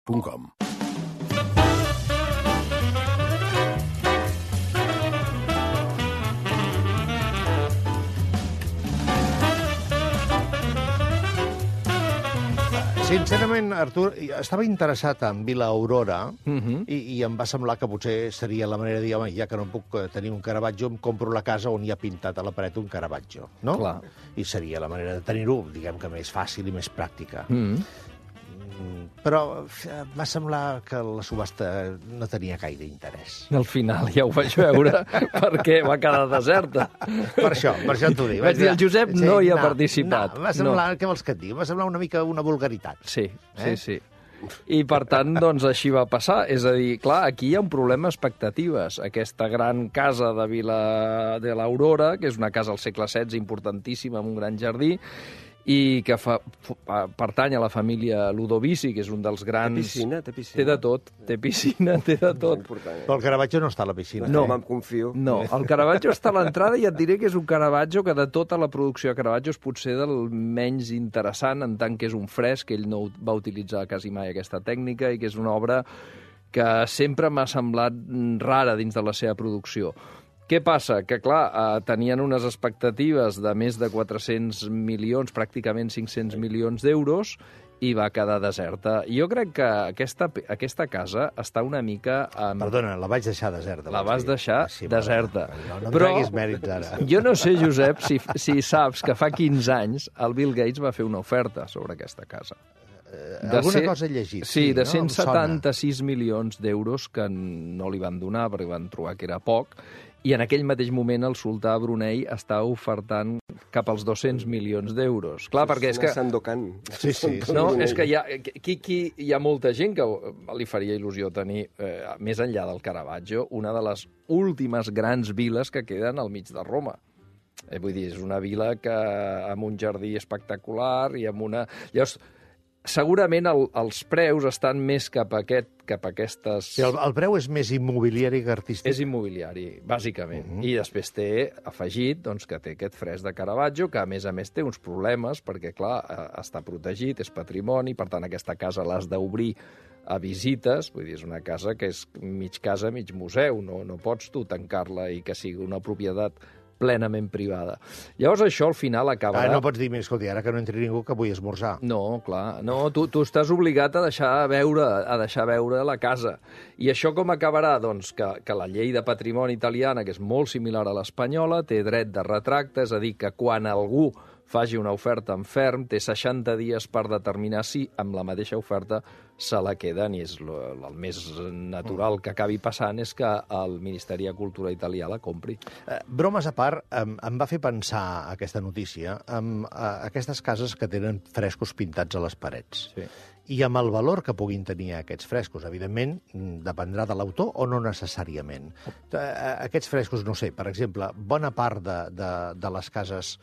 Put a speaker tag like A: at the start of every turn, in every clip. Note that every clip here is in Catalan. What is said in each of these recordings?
A: www.radiotrinitat.com.
B: Sincerament, Artur, estava interessat en Vila Aurora i em va semblar que potser seria la manera de dir, home, ja que no puc tenir un Caravaggio, em compro la casa on hi ha pintat a la paret un Caravaggio, no?
C: Clar.
B: I seria la manera de tenir-ho, diguem que més fàcil i més pràctica. Però va semblar que la subhasta no tenia gaire interès.
C: Al final ja ho vaig veure perquè va quedar deserta.
B: Per això t'ho dic.
C: Vaig dir, el Josep no hi ha participat.
B: No, va semblar, què vols que et digui? Va semblar una mica una vulgaritat.
C: Sí. I, per tant, doncs, així va passar. És a dir, clar, aquí hi ha un problema d'expectatives. Aquesta gran casa de Vila de l'Aurora, que és una casa al segle XVI importantíssima, amb un gran jardí, i que pertany a la família Ludovici, que és un dels grans...
D: Té piscina.
C: Té de tot, té piscina, té de tot.
B: Però el Caravaggio no està a la piscina.
C: No,
D: me'n confio.
C: No, el Caravaggio està a l'entrada i et diré que és un Caravaggio que de tota la producció de Caravaggio és potser del menys interessant, en tant que és un fresc, ell no va utilitzar quasi mai aquesta tècnica i que és una obra que sempre m'ha semblat rara dins de la seva producció. Què passa? Que, clar, tenien unes expectatives de més de 400 milions, pràcticament 500 milions d'euros, i va quedar deserta. Jo crec que aquesta casa està una mica...
B: Perdona, la vaig deixar deserta.
C: La vas deixar deserta.
B: No em treguis mèrits, ara.
C: Jo no sé, Josep, si saps que fa 15 anys el Bill Gates va fer una oferta sobre aquesta casa.
B: Alguna cosa he llegit.
C: Sí, de
B: no?
C: 176 milions d'euros que no li van donar perquè van trobar que era poc, i en aquell mateix moment el sultà Brunei està ofertant cap als 200 milions d'euros. Clar, perquè és que...
D: Sandokan.
B: Sí.
C: No, és que hi ha molta gent que li faria il·lusió tenir, més enllà del Caravaggio, una de les últimes grans viles que queden al mig de Roma. Vull dir, és una vila que amb un jardí espectacular i amb una... Llavors, segurament els preus estan més cap a aquestes...
B: Sí, el preu és més immobiliari que artístic.
C: És immobiliari, bàsicament. I després té afegit doncs, que té aquest fresc de Caravaggio, que a més té uns problemes, perquè, clar, està protegit, és patrimoni, per tant, aquesta casa l'has d'obrir a visites, vull dir, és una casa que és mig casa, mig museu, no pots tu tancar-la i que sigui una propietat plenament privada. Llavors això al final acabarà...
B: No pots dir, escolta, ara que no entri ningú que vull esmorzar.
C: No, clar, no, tu estàs obligat a deixar veure la casa. I això com acabarà? Doncs que la llei de patrimoni italiana, que és molt similar a l'espanyola, té dret de retracte, és a dir, que quan algú faci una oferta en ferm, té 60 dies per determinar si amb la mateixa oferta se la queden, i és el més natural que acabi passant és que el Ministeri de Cultura italià la compri.
B: Bromes a part, em va fer pensar aquesta notícia amb aquestes cases que tenen frescos pintats a les parets.
C: Sí.
B: I amb el valor que puguin tenir aquests frescos. Evidentment, dependrà de l'autor o no necessàriament. Aquests frescos, no sé, per exemple, bona part de les cases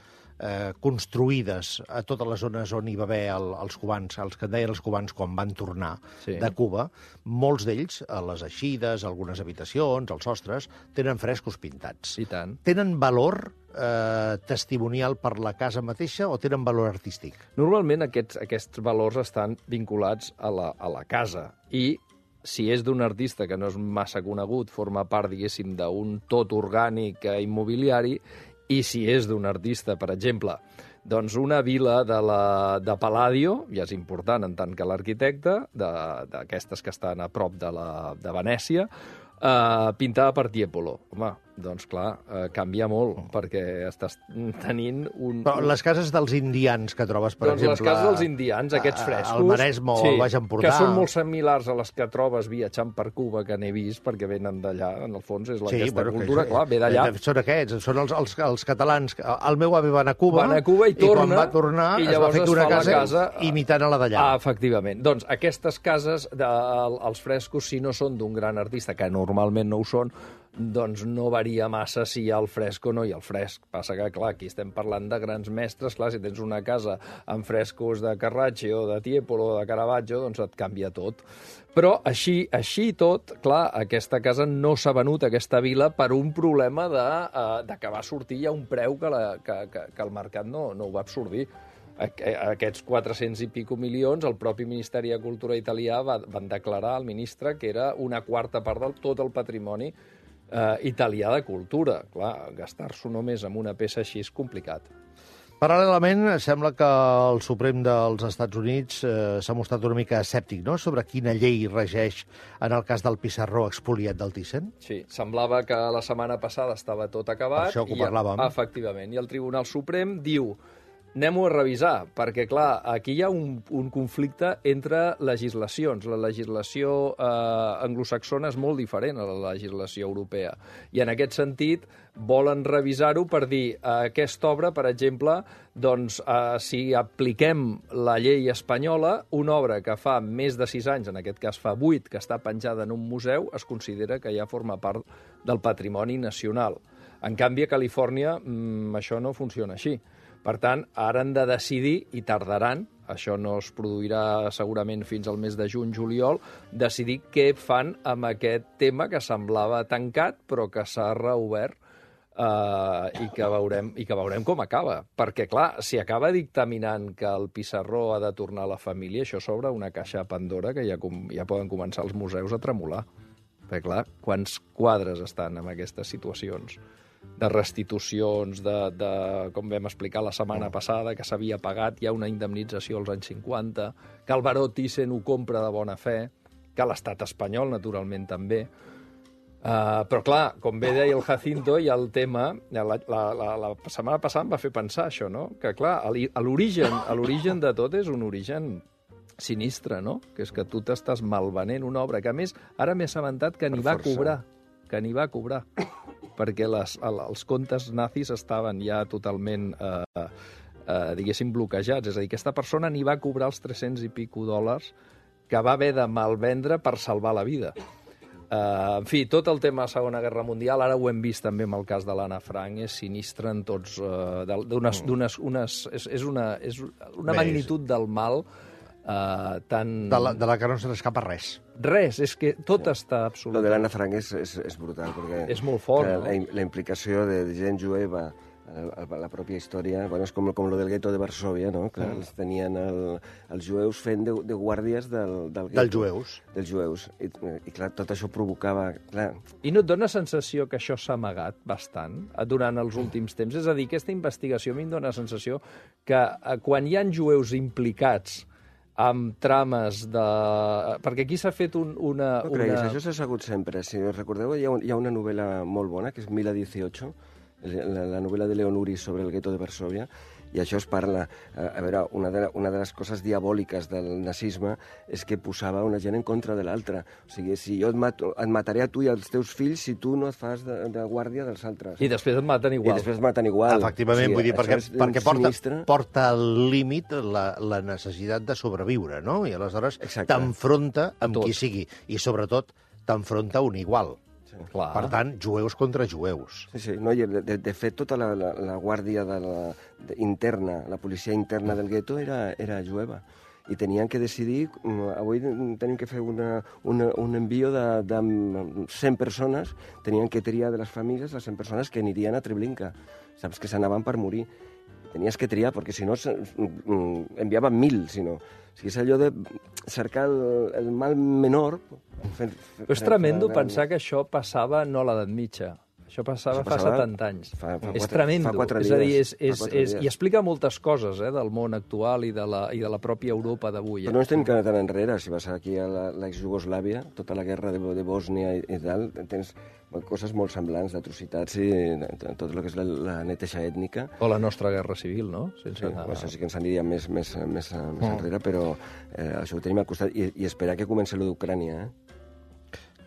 B: construïdes a totes les zones on hi va haver els cubans, els que en deien els cubans quan van tornar de Cuba, molts d'ells, a les eixides, algunes habitacions, els sostres, tenen frescos pintats.
C: I tant.
B: Tenen valor testimonial per la casa mateixa o tenen valor artístic?
C: Normalment aquests valors estan vinculats a la casa i si és d'un artista que no és massa conegut, forma part, diguéssim, d'un tot orgànic immobiliari, i si és d'un artista, per exemple, doncs una vila de Palladio, ja és important en tant que l'arquitecte, d'aquestes que estan a prop de Venècia, pintada per Tiepolo. Home, doncs clar, canvia molt, perquè estàs tenint un...
B: Però les cases dels indians que trobes, per exemple...
C: Doncs les cases dels indians, aquests frescos...
B: Al Maresme o al Baix Empordà...
C: Que són molt similars a les que trobes viatjant per Cuba, que n'he vist, perquè venen d'allà, en el fons, és aquesta cultura, clar, ve d'allà.
B: Són aquests, són els catalans. El meu avi va anar a Cuba,
C: i torna,
B: quan va tornar es va fer una casa imitant a la d'allà.
C: Efectivament. Doncs aquestes cases, els frescos, si no són d'un gran artista, que normalment no ho són, doncs no varia massa si hi ha el fresc o no hi ha el fresc. Passa que, clar, aquí estem parlant de grans mestres, clar, si tens una casa amb frescos de Carraccio, de Tiepolo o de Caravaggio, doncs et canvia tot. Però així tot, clar, aquesta casa no s'ha venut, aquesta vila, per un problema de que va sortir ja un preu que el mercat no ho va absorbir. Aquests 400 i pico milions, el propi Ministeri de Cultura italià van declarar al ministre que era una quarta part del tot el patrimoni italià de cultura. Clar, gastar-s'ho només amb una peça així és complicat.
B: Paral·lelament, sembla que el Suprem dels Estats Units s'ha mostrat una mica escèptic, no?, sobre quina llei regeix en el cas del pissarró expoliat del Thyssen.
C: Sí, semblava que la setmana passada estava tot acabat.
B: Per això que ho parlàvem.
C: Efectivament, i el Tribunal Suprem diu: anem-ho a revisar, perquè, clar, aquí hi ha un conflicte entre legislacions. La legislació anglosaxona és molt diferent a la legislació europea. I en aquest sentit volen revisar-ho per dir aquesta obra, per exemple, doncs, si apliquem la llei espanyola, una obra que fa més de 6 anys, en aquest cas fa 8, que està penjada en un museu, es considera que ja forma part del patrimoni nacional. En canvi, a Califòrnia això no funciona així. Per tant, ara han de decidir, i tardaran, això no es produirà segurament fins al mes de juny-juliol, decidir què fan amb aquest tema que semblava tancat, però que s'ha reobert i que veurem com acaba. Perquè, clar, si acaba dictaminant que el pissarró ha de tornar a la família, això s'obre una caixa de Pandora que ja poden començar els museus a tremolar. Perquè, clar, quants quadres estan en aquestes situacions de restitucions, com vam explicar la setmana passada, que s'havia pagat, hi ha una indemnització als anys 50, que el baró Thyssen ho compra de bona fe, que l'estat espanyol, naturalment, també. Però, clar, com bé deia el Jacinto, hi ha el tema... La setmana passada em va fer pensar això, no? Que, clar, l'origen de tot és un origen sinistre, no? Que és que tu t'estàs malvenent una obra que, a més, ara m'he assabentat que n'hi va cobrar, perquè els comptes nazis estaven ja totalment, diguéssim, bloquejats. És a dir, aquesta persona n'hi va cobrar els 300 i pico dòlars que va haver de malvendre per salvar la vida. En fi, tot el tema de la Segona Guerra Mundial, ara ho hem vist també amb el cas de l'Anna Frank, és sinistre en tots... És una magnitud del mal tan...
B: De la que no se n'escapa res.
C: Res, és que tot està absolut.
A: Lo de l'Anna Frank és brutal, perquè...
C: És molt fort, no?
A: La implicació de gent jueva a la pròpia història, bueno, és com lo del gueto de Varsòvia, no? Clar, els tenien els jueus fent de guàrdies del gueto. Dels jueus. I clar, tot això provocava... Clar.
C: I no et dona sensació que això s'ha amagat bastant durant els últims temps? És a dir, aquesta investigació a mi em dona la sensació que quan hi ha jueus implicats amb trames de... Perquè aquí s'ha fet una...
A: No creguis, això s'ha sabut sempre. Si recordeu, hi ha una novel·la molt bona, que és 1018, la novel·la de Leon Uris sobre el gueto de Varsòvia, i això es parla... A veure, una de les coses diabòliques del nazisme és que posava una gent en contra de l'altra. O sigui, si jo et mataré a tu i als teus fills si tu no et fas de guàrdia dels altres.
C: I després et maten igual.
B: Efectivament, vull dir, perquè porta al límit la necessitat de sobreviure, no? I aleshores t'enfronta amb qui sigui. I, sobretot, t'enfronta un igual.
C: Clar.
B: Per tant, jueus contra jueus.
A: Sí. No, i de fet, tota la guàrdia interna, la policia interna del gueto era jueva. I tenien que decidir... Avui tenim que fer un envio de 100 persones. Tenien que triar de les famílies les 100 persones que anirien a Treblinka. Saps que s'anaven per morir. Tenies que triar, perquè si no enviaven 1.000, si no. O sigui, és allò de cercar el mal menor...
C: Però és tremendo pensar que això passava no a l'edat mitja. Això passava fa 70 anys. És tremendo.
A: Fa 4 dies.
C: És a dir, i explica moltes coses del món actual i de la pròpia Europa d'avui.
A: Però no estem tan enrere. Si vas aquí a l'ex-Jugoslàvia, tota la guerra de Bòsnia i tal, tens coses molt semblants d'atrocitats i tot el que és la neteja ètnica.
C: O la nostra guerra civil, no?
A: Això sí que ens aniria més enrere, però això ho tenim al costat. I esperar que comenci lo d'Ucrània,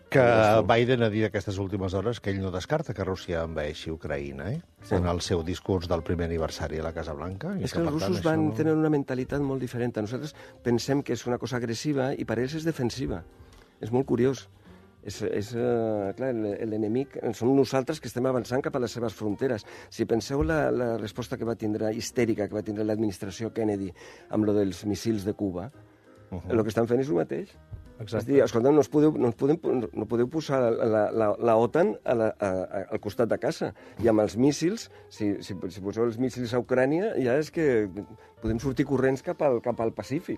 B: Que Biden ha dit aquestes últimes hores que ell no descarta que Rússia envaeixi Ucraïna, en el seu discurs del primer aniversari a la Casa Blanca.
A: És que els russos van tenir una mentalitat molt diferent. Nosaltres pensem que és una cosa agressiva i per ells és defensiva. És molt curiós. Clar, l'enemic som nosaltres que estem avançant cap a les seves fronteres. Si penseu la resposta que va tindre, histèrica, que va tindre l'administració Kennedy amb lo dels missils de Cuba, el que estan fent és el mateix. És dir, escolta, no podeu posar la OTAN al costat de casa. I amb els míssils, si poseu els míssils a Ucrània, ja és que podem sortir corrents cap al Pacífic.